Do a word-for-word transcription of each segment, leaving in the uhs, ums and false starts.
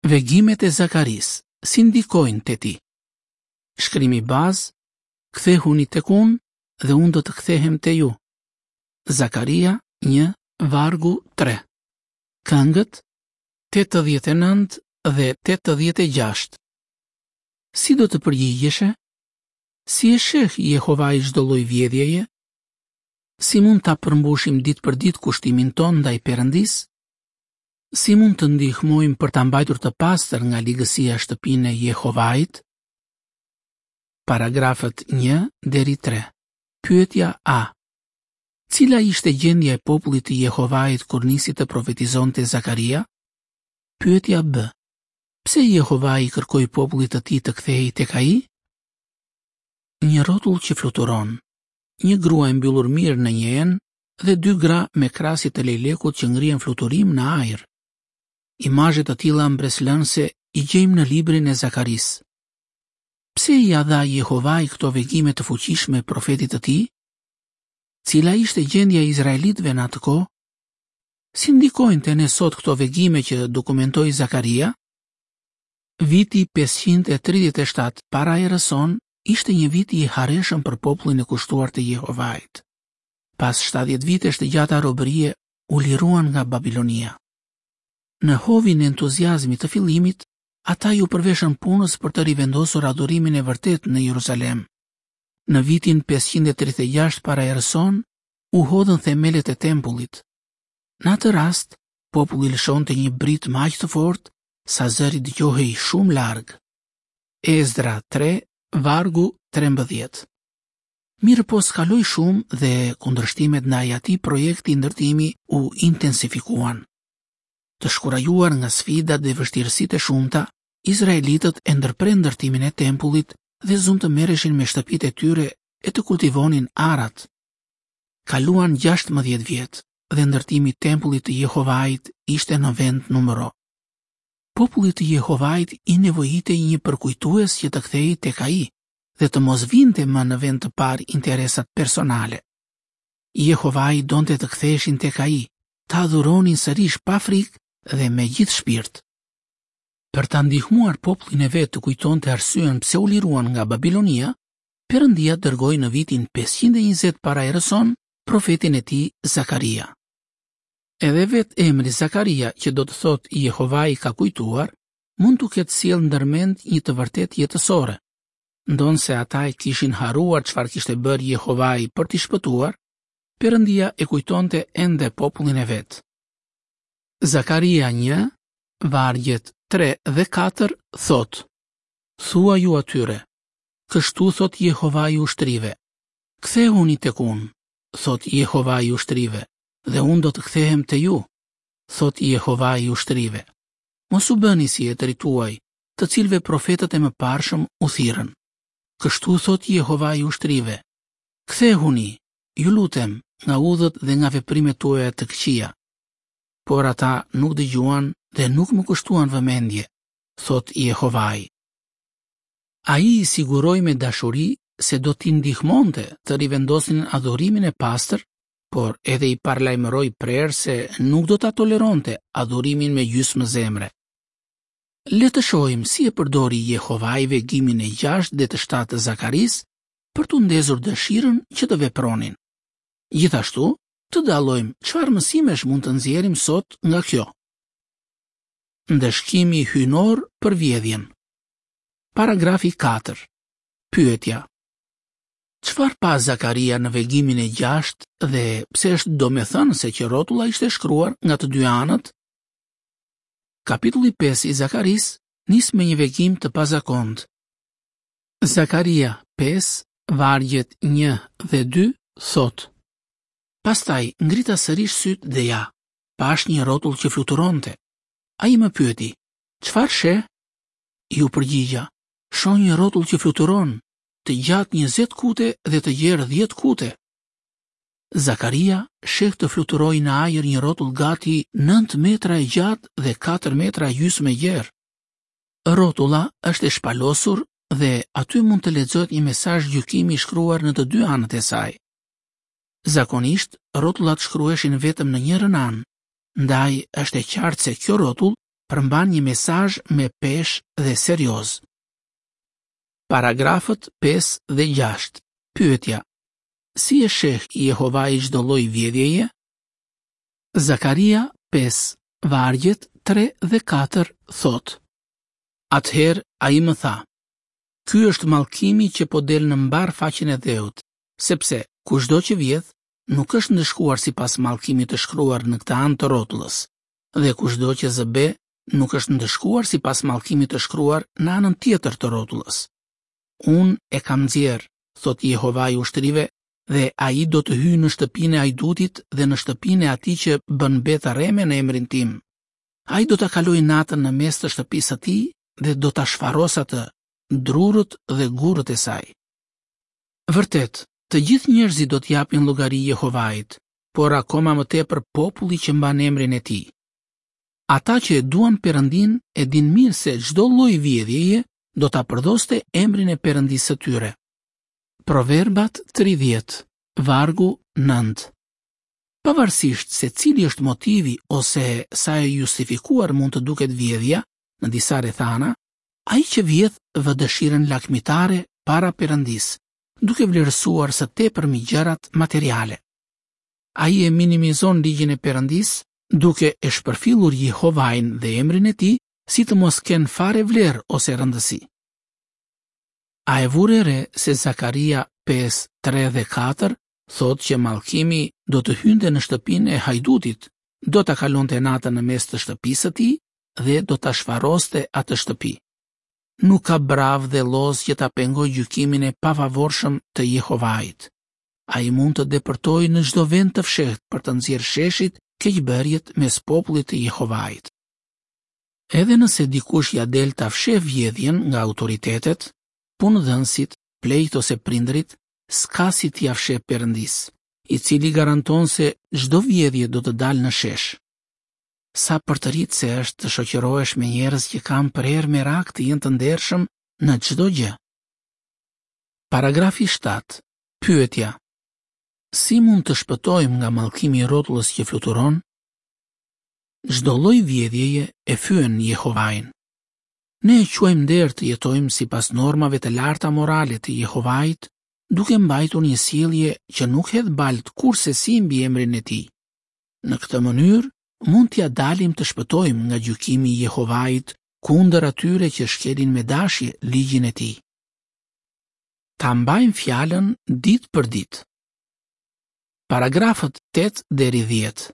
Vegimet e Zakarisë si ndikojnë te ti? Shkrimi bazë: Kthehuni tek unë dhe unë do të kthehem te ju. Zakaria një, vargu tre. Këngët tetëdhjetë e nëntë dhe tetëdhjetë e gjashtë. Si do të përgjigjeshe? Si e sheh Jehovai çdo lloj vjedhjeje? Si mund ta përmbushim ditë për ditë kushtimin tonë ndaj Perëndisë? Si mund të ndihmojmë për ta mbajtur të pastër nga ligësia shtëpinë e Jehovait? Paragrafët një deri tre. Pyetja A. Cila ishte gjendja e popullit të Jehovait kur nisi të profetizonte Zakaria? Pyetja B. Pse Jehovai i kërkoi popullit të tij të kthehej tek ai? Një rrotull që fluturon, një grua e mbyllur mirë në një enë dhe dy gra me krasje të lejlekut që ngrihen fluturim në ajër. Imazhe të tilla mbresëlënëse i gjejmë në librin e Zakarisë. Pse ia dha Jehovai këto vegime të fuqishme profetit të tij? Cila ishte gjendja e izraelitëve në atë kohë? Si ndikojnë te ne sot këto vegime që dokumentoi Zakaria? Viti pesëqind e tridhjetë e shtatë para erës sonë ishte një vit i hareshëm për popullin e kushtuar të Jehovait. Pas shtatëdhjetë vitesh të gjata robërie, u liruan nga Babilonia. Në hovin e entuziazmit të fillimit, ata iu përveshën punës për të rivendosur adhurimin e vërtetë në Jeruzalem. Në vitin pesëqind e tridhjetë e gjashtë para erës sonë, u hodhën themelet e tempullit. Në atë rast, populli lëshonte një britmë aq të fortë sa zëri dëgjohej shumë larg. Ezdra tre, vargu trembëdhjetë. Mirëpo s'kaloi shumë dhe kundërshtimet ndaj atij projekti ndërtimi u intensifikuan. Të shkurajuar nga sfidat dhe vështirësitë e shumta, izraelitët e ndërprenë ndërtimin e tempullit dhe zunë të merreshin me shtëpitë e tyre e të kultivonin arat. Kaluan gjashtëmbëdhjetë vjet dhe ndërtimi i tempullit të Jehovait ishte në vend numëro. Popullit të Jehovait i nevojitej një përkujtues që të kthehej tek ai dhe të mos vinte më në vend të parë interesat personale. Jehovai donte të ktheheshin tek ai, ta adhuronin sërish pa frikë dhe me gjithë shpirt. Për ta ndihmuar popullin e vet të kujtonte arsyen pse u liruan nga Babilonia, Perëndia dërgoi në vitin pesëqind e njëzet para erës sonë profetin e tij Zakaria. Edhe vetë emri Zakaria, që do të thotë Jehovai ka kujtuar, mund t'u ketë sjellë ndërmend një të vërtetë jetësore. Ndonse ata e kishin harruar çfarë kishte bërë Jehovai për t'i shpëtuar, Perëndia e kujtonte ende popullin e vet. Zakaria një, vargjet tre dhe katër thotë: Thuaju atyre, kështu thotë Jehovai i ushtrive, kthehuni tek unë, thotë Jehovai i ushtrive, dhe unë do të kthehem te ju, thotë Jehovai i ushtrive. Mos u bëni si etërit tuaj, të cilëve profetët e mëparshëm u thirrën. Kështu thotë Jehovai i ushtrive, kthehuni, ju lutem, nga udhët dhe nga veprimet tuaja të këqija. Por ata nuk dëgjuan dhe nuk më kushtuan vëmendje, thotë Jehovai. Ai i siguroi me dashuri se do t'i ndihmonte të rivendosnin adhurimin e pastër, por edhe i paralajmëroi prerë se nuk do ta toleronte adhurimin me gjysmë zemre. Le të shohim si e përdori Jehovai vegimin e gjashtë dhe të shtatë të Zakarisë për t'u ndezur dëshirën që të vepronin. Gjithashtu, të dallojmë çfarë mësimesh mund të nxjerrim sot nga kjo. Ndëshkimi hyjnor për vjedhjen. Paragrafi katër. Pyetja: Çfarë pa Zakaria në vegimin e gjashtë dhe pse është domethënëse që rrotulla ishte shkruar nga të dy anët? Kapitulli pesë i Zakarisë nis me një vegim të pazakontë. Zakaria pesë, vargjet një dhe dy thotë: Pastaj ngrita sërish syt dhe ja, pash një rrotull që fluturonte. Ai më pyeti: Çfarë sheh? Iu përgjigja: Shoh një rrotull që fluturon, të gjatë njëzet kute dhe të gjerë dhjetë kute. Zakaria sheh të fluturojë në ajër një rrotull gati nëntë metra e gjatë dhe katër metra e gjysmë e gjerë. Rrotulla është e shpalosur dhe aty mund të lexohet një mesazh gjykimi i shkruar në të dy anët e saj. Zakonisht, rrotullat shkruheshin vetëm në njërën anë, ndaj është e qartë se kjo rrotull përmban një mesazh me peshë dhe serioz. Paragrafët pesë dhe gjashtë. Pyetja: Si e sheh Jehovai çdo lloj vjedhjeje? Zakaria pesë, vargjet tre dhe katër thotë: Atëherë ai më tha: Ky është mallkimi që po del në mbar faqen e dheut, sepse kushdo që vjedh nuk është ndëshkuar sipas mallkimit të shkruar në këtë anë të rrotullës, dhe kushdo që zë be nuk është ndëshkuar sipas mallkimit të shkruar në anën tjetër të rrotullës. Unë e kam nxjerr, thot Jehovai i ushtrive, dhe ai do të hyjë në shtëpinë e hajdutit dhe në shtëpinë e atij që bën be të rreme në emrin tim. Ai do ta kalojë natën në mes të shtëpisë së tij dhe do ta shfaros atë, drurët dhe gurët e saj. Vërtet, të gjithë njerëzit do të japin llogari Jehovait, por akoma më tepër populli që mban emrin e tij. Ata që e duan Perëndin e dinë mirë se çdo lloj vjedhjeje do ta përdhoste emrin e Perëndisë së tyre. Proverbat tridhjetë, vargu nëntë. Pavarësisht se cili është motivi ose sa e justifikuar mund të duket vjedhja në disa rrethana, ai që vjedh vë dëshirën lakmitare para Perëndisë, duke vlerësuar së tepërmi gjërat materiale. Ai e minimizon ligjin e Perëndisë, duke e shpërfillur Jehovain dhe emrin e tij si të mos kenë fare vlerë ose rëndësi. A e vure re se Zakaria pesë, tre dhe katër thotë që mallkimi do të hynte në shtëpinë e hajdutit, do ta kalonte natën në mes të shtëpisë së tij dhe do ta shfaroste atë shtëpi. Nuk ka brav dhe lloz që ta pengojë gjykimin e pafavorshëm të Jehovait. Ai mund të depërtojë në çdo vend të fshehtë për të nxjerrë sheshit keqbërjet mes popullit të Jehovait. Edhe nëse dikush ja del ta fsheh vjedhjen nga autoritetet, punëdhënësit, plejt ose prindrit, s'ka si t'ia fsheh Perëndisë, i cili garanton se çdo vjedhje do të dalë në shesh. Sa përtëritëse është të shoqërohesh me njerëz që kanë përherë merak të jenë të ndershëm në çdo gjë. Paragrafi shtatë. Pyetja: Si mund të shpëtojmë nga mallkimi i rrotullës që fluturon? Çdo lloj vjedhjeje e fyen Jehovain. Ne e quajmë nder të jetojmë sipas normave të larta morale të Jehovait, duke mbajtur një sjellje që nuk hedh balt kursesi mbi emrin e tij. Në këtë mënyrë, mund t'ia dalim të shpëtojmë nga gjykimi i Jehovait kundër atyre që shkelin me dashje ligjin e tij. Ta mbajmë fjalën ditë për ditë. Paragrafët tetë deri dhjetë.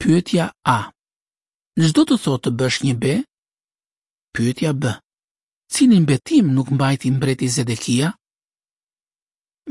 Pyetja A. Ç'do të thotë të bësh një be? Pyetja B. Cilin betim nuk mbajti mbreti Zedekia?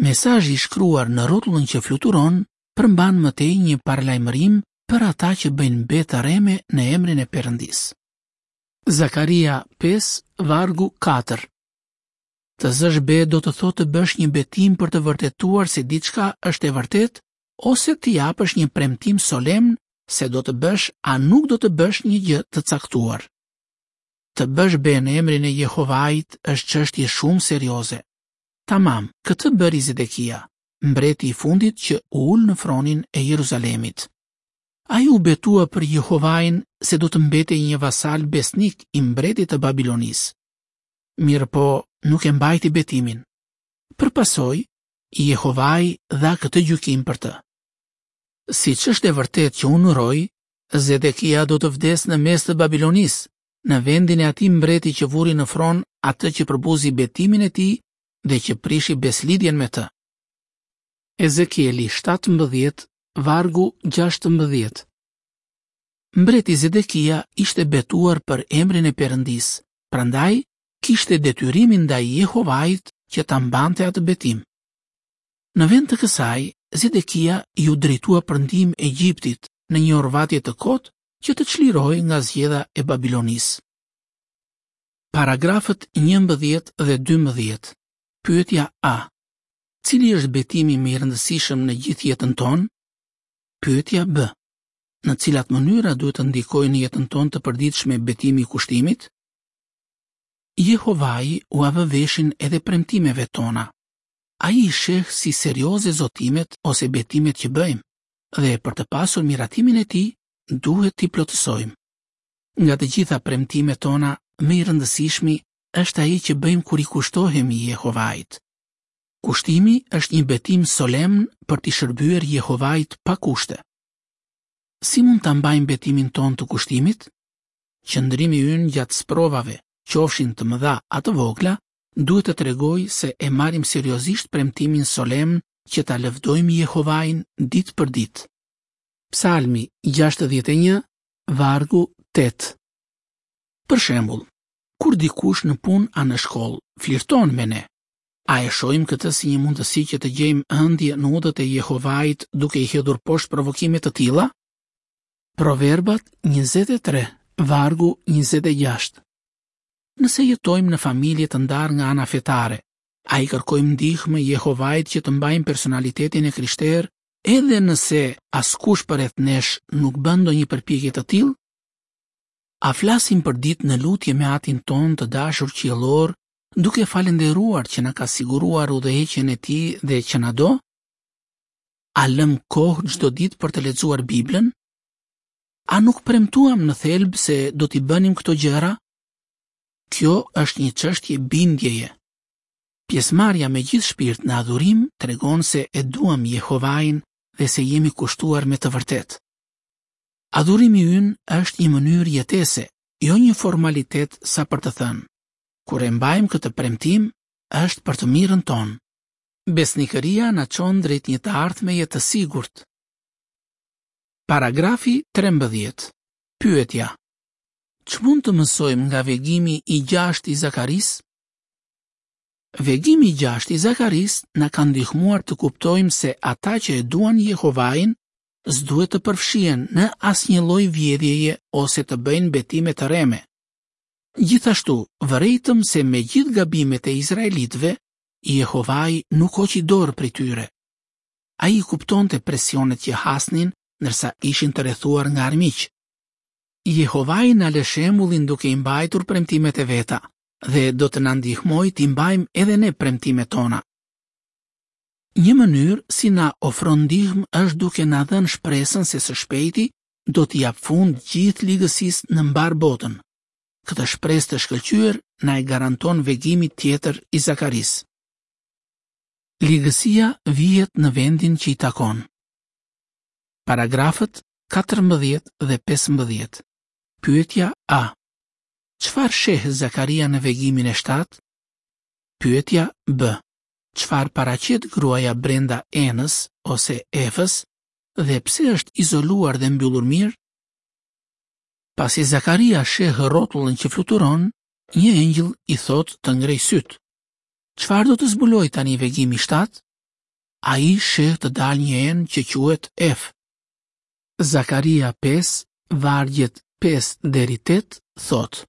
Mesazhi i shkruar në rrotullën që fluturon përmban më tej një paralajmërim për ata që bëjnë be të rreme në emrin e Perëndisë. Zakaria pesë, vargu katër. Të zësh be do të thotë të bësh një betim për të vërtetuar se diçka është e vërtetë ose të japësh një premtim solemn se do të bësh a nuk do të bësh një gjë të caktuar. Të bësh be në emrin e Jehovait është çështje shumë serioze. Tamam, këtë bëri Zedekia, mbreti i fundit që u ul në fronin e Jeruzalemit. Ai u betua për Jehovain se do të mbetej një vasal besnik i mbretit të Babilonisë. Mirëpo, nuk e mbajti betimin. Për pasojë, Jehovai dha këtë gjykim për të. Siç është e vërtetë që unë uroj, Zedekia do të vdes në mes të Babilonisë, në vendin e atij mbreti që vuri në fron atë që përbuzi betimin e tij dhe që prishi beslidhjen me të. Ezekieli shtatëmbëdhjetë, vargu gjashtëmbëdhjetë. Mbreti Zedekia ishte betuar për emrin e Perëndisë, prandaj kishte detyrimin ndaj Jehovait që ta mbante atë betim. Në vend të kësaj, Zedekia iu drejtua për ndihmë Egjiptit në një orvatje të kotë që të çlirohej nga zgjedha e Babilonisë. Paragrafët njëmbëdhjetë dhe dymbëdhjetë. Pyetja A. Cili është betimi më i rëndësishëm në gjithë jetën tonë? Pyetja B. Në cilat mënyra duhet të ndikojë në jetën tonë të përditshme betimi i kushtimit? Jehovai ua vë veshin edhe premtimeve tona. Ai i sheh si serioze zotimet ose betimet që bëjmë, dhe për të pasur miratimin e tij, duhet t'i plotësojmë. Nga të gjitha premtimet tona, më i rëndësishmi është ai që bëjmë kur i kushtohemi Jehovait. Kushtimi është një betim solemn për t'i shërbyer Jehovait pa kushte. Si mund ta mbajmë betimin tonë të kushtimit? Qëndrimi ynë gjatë sprovave, qofshin të mëdha a të vogla, duhet të tregojë se e marrim seriozisht premtimin solemn që ta lëvdojmë Jehovain ditë për ditë. Psalmi gjashtëdhjetë e një, vargu tetë. Për shembull, kur dikush në punë a në shkollë flirton me ne, a e shohim këtë si një mundësi që të gjejmë ëndje në udhët e Jehovait duke i hedhur poshtë provokime të tilla? Proverbat njëzet e tre, vargu njëzet e gjashtë. Nëse jetojmë në familje të ndarë nga ana fetare, a i kërkojmë ndihmë Jehovait që të mbajmë personalitetin e krishterë, edhe nëse askush përreth nesh nuk bën ndonjë përpjekje të tillë? A flasim për ditë në lutje me Atin tonë të dashur qiellor, duke falënderuar që na ka siguruar udhëheqjen e tij dhe që na do? A lëm kohë çdo ditë për të lexuar Biblën? A nuk premtuam në thelb se do t'i bënim këto gjëra? Kjo është një çështje bindjeje. Pjesëmarrja me gjithë shpirt në adhurim tregon se e duam Jehovain dhe se jemi kushtuar me të vërtetë. Adhurimi ynë është një mënyrë jetese, jo një formalitet sa për të thënë. Kur e mbajmë këtë premtim, është për të mirën tonë. Besnikëria na çon drejt një të ardhmeje të sigurt. Paragrafi trembëdhjetë. Pyetja: Ç'mund të mësojmë nga vegimi i gjashtë i Zakarisë? Vegimi i gjashtë i Zakarisë na ka ndihmuar të kuptojmë se ata që e duan Jehovain s'duhet të përfshihen në asnjë lloj vjedhjeje ose të bëjnë betime të rreme. Gjithashtu, vërejtëm se me gjithë gabimet e izraelitëve, Jehovai nuk hoqi dorë prej tyre. Ai i kuptonte presionet që hasnin ndërsa ishin të rrethuar nga armiq. Jehovai na lë shembullin duke i mbajtur premtimet e veta dhe do të na ndihmojë t'i mbajmë edhe ne premtimet tona. Një mënyrë si na ofron ndihmë është duke na dhënë shpresën se së shpejti do t'i jap fund gjithë ligësisë në mbar botën. Këtë shpresë të shkëlqyer na e garanton vegimi tjetër i Zakarisë. Ligësia vihet në vendin që i takon. Paragrafët katërmbëdhjetë dhe pesëmbëdhjetë. Pyetja A. Çfarë sheh Zakaria në vegimin e shtatë? Pyetja B. Çfarë paraqet gruaja brenda enës ose efës dhe pse është izoluar dhe mbyllur mirë? Pasi Zakaria sheh rrotullën që fluturon, një engjëll i thotë të ngrej syt. Çfarë do të zbuloj tani vegimi shtatë? Ai sheh të dalë një enë që quhet Ef. Zakaria pesë, vargjet pesë deri tetë thotë: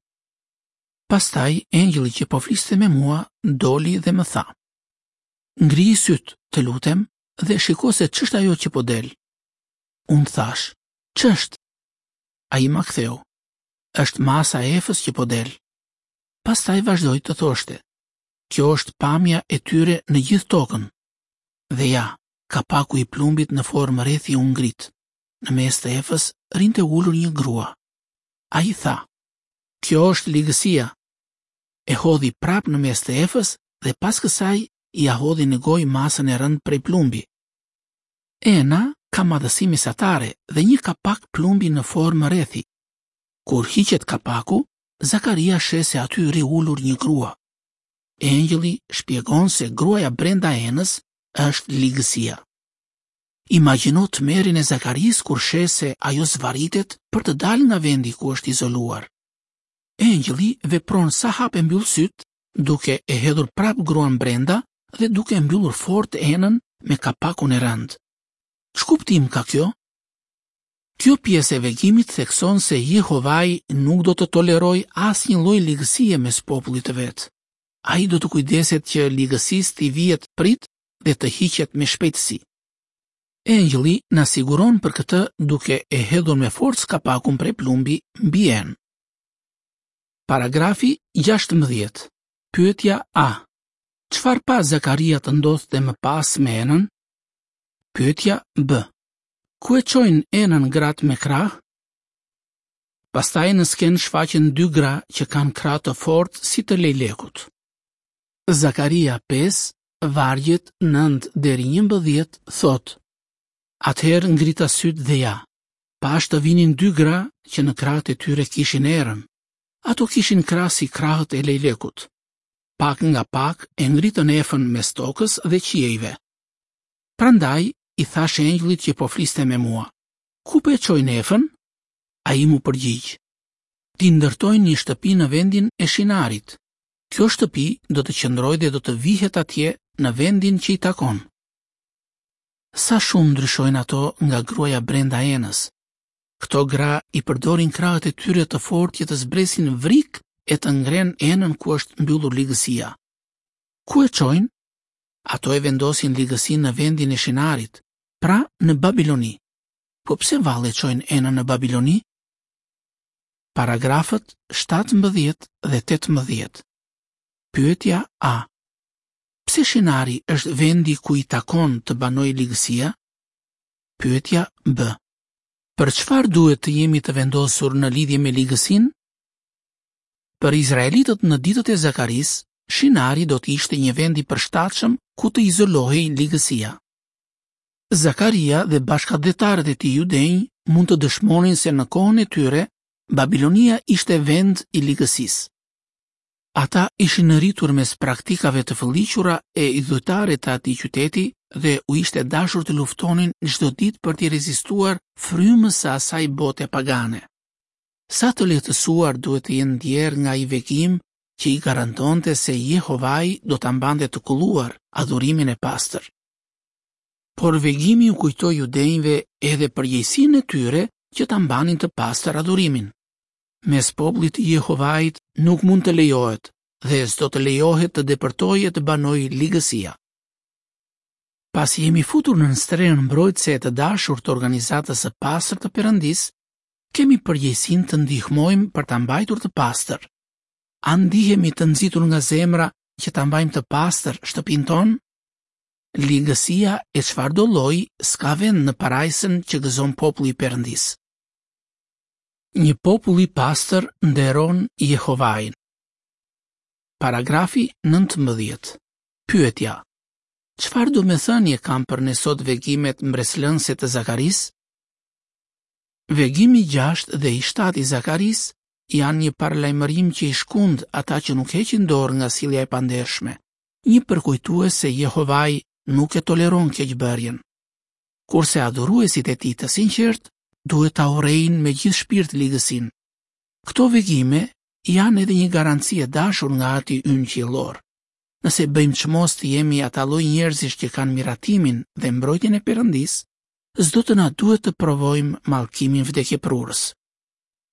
Pastaj engjëlli që po fliste me mua doli dhe më tha: Ngri syt, të lutem, dhe shiko se ç'është ajo që po del. Unë thash: Ç'është? Ai ma ktheu: Është masa e efës që po del. Pastaj vazhdoi të thoshte: Kjo është pamja e tyre në gjithë tokën. Dhe ja, kapaku i plumbit në formë rrethi u ngrit. Në mes të efës rinte ulur një grua. Ai tha: Kjo është ligësia. E hodhi prap në mes të efës dhe pas kësaj ia hodhi në gojë masën e rëndë prej plumbi. Ena ka madhësi mesatare dhe një kapak plumbi në formë rrethi. Kur hiqet kapaku, Zakaria sheh se aty rri ulur një grua. Engjëlli shpjegon se gruaja brenda enës është ligësia. Imagjino tmerrin e Zakarisë kur sheh se ajo zvaritet për të dalë nga vendi ku është izoluar. Engjëlli vepron sa hap e mbyll syt, duke e hedhur prap gruan brenda dhe duke e mbyllur fort enën me kapakun e rëndë. Ç'kuptim ka kjo? Kjo pjesë e vegimit thekson se Jehovai nuk do të tolerojë asnjë lloj ligësie mes popullit të vet. Ai do të kujdeset që ligësisë t'i vihet prit dhe të hiqet me shpejtësi. Engjëlli na siguron për këtë duke e hedhur me forcë kapakun prej plumbi mbi enë. Paragrafi gjashtëmbëdhjetë. Pyetja A. Çfarë pa Zakaria të ndodhte më pas me enën? Pyetja B. Ku e çojnë enën gratë me krah? Pastaj në skenë shfaqen dy gra që kanë krahë të fortë si të lejlekut. Zakaria pesë, vargjet nëntë deri njëmbëdhjetë thotë: Atëherë ngrita sytë dhe ja, pashë të vinin dy gra që në krahët e tyre kishin erën. Ato kishin krahë si krahët e lejlekut. Pak nga pak e ngritën efën mes tokës dhe qiejve. Prandaj i thashë engjëllit që po fliste me mua: Ku po e çojnë efën? Ai m'u përgjigj: T'i ndërtojnë një shtëpi në vendin e Shinarit. Kjo shtëpi do të qëndrojë dhe do të vihet atje në vendin që i takon. Sa shumë ndryshojnë ato nga gruaja brenda enës. Këto gra i përdorin krahët e tyre të fortë që të zbresin vrik e të ngrenë enën ku është mbyllur ligësia. Ku e çojnë? Ato e vendosin ligësinë në vendin e Shinarit, pra në Babiloni. Po pse vallë e çojnë enën në Babiloni? Paragrafët shtatëmbëdhjetë dhe tetëmbëdhjetë. Pyetja A. Pse Shinari është vendi ku i takon të banojë ligësia? Pyetja B. Për çfarë duhet të jemi të vendosur në lidhje me ligësinë? Për izraelitët në ditët e Zakarisë, Shinari do të ishte një vend i përshtatshëm ku të izolohej ligësia. Zakaria dhe bashkatdhetarët e tij judenj mund të dëshmonin se në kohën e tyre Babilonia ishte vend i ligësisë. Ata ishin rritur mes praktikave të fëlliqura e idhujtare të atij qyteti dhe u ishte dashur të luftonin çdo ditë për t'i rezistuar frymës së asaj bote pagane. Sa të lehtësuar duhet të jenë ndjerë nga ai vegim që i garantonte se Jehovai do ta mbante të kulluar adhurimin e pastër. Por vegimi u kujtoi judenjve edhe përgjegjësinë e tyre që ta mbanin të pastër adhurimin. Mes popullit të Jehovait nuk mund të lejohet dhe s'do të lejohet të depërtojë e të banojë ligësia. Pasi jemi futur në strehën mbrojtëse e të dashur të organizatës së pastër të Perëndisë, kemi përgjegjësinë të ndihmojmë për ta mbajtur të pastër. A ndihemi të nxitur nga zemra që ta mbajmë të pastër shtëpinë tonë? Ligësia e çfarëdo lloji s'ka vend në parajsën që gëzon populli i Perëndisë. Një popull i pastër nderon Jehovain. Paragrafi nëntëmbëdhjetë. Pyetja: Çfarë domethënie kanë për ne sot vegimet mbresëlënëse të Zakarisë? Vegimi i gjashtë dhe i shtatë i Zakarisë janë një paralajmërim që i shkund ata që nuk heqin dorë nga sjellja e pandershme, një përkujtues se Jehovai nuk e toleron keqbërjen. Kurse adhuruesit e tij të sinqertë duhet ta urrejnë me gjithë shpirt ligësinë. Këto vegime janë edhe një garanci e dashur nga Ati ynë qiellor. Nëse bëjmë çmos të jemi ata lloj njerëzish që kanë miratimin dhe mbrojtjen e Perëndisë, s'do të na duhet të provojmë mallkimin vdekjeprurës.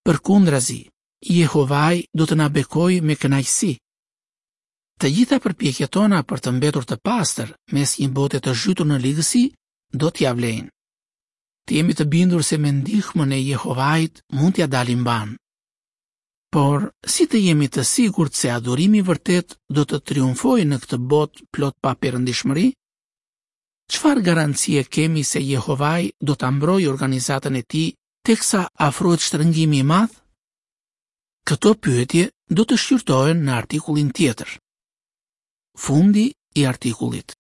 Përkundrazi, Jehovai do të na bekojë me kënaqësi. Të gjitha përpjekjet tona për të mbetur të pastër mes një bote të zhytur në ligësi do t'ja vlejnë. Të jemi të bindur se me ndihmën e Jehovait mund t'ja dalim mban. Por, si të jemi të sigurt se adhurimi vërtet do të triumfojë në këtë botë plot pa perëndishmëri? Çfarë garancie kemi se Jehovai do ta mbrojë organizatën e tij teksa afrohet shtrëngimi i madh? Këto pyetje do të shqyrtohen në artikullin tjetër. Fundi i artikullit.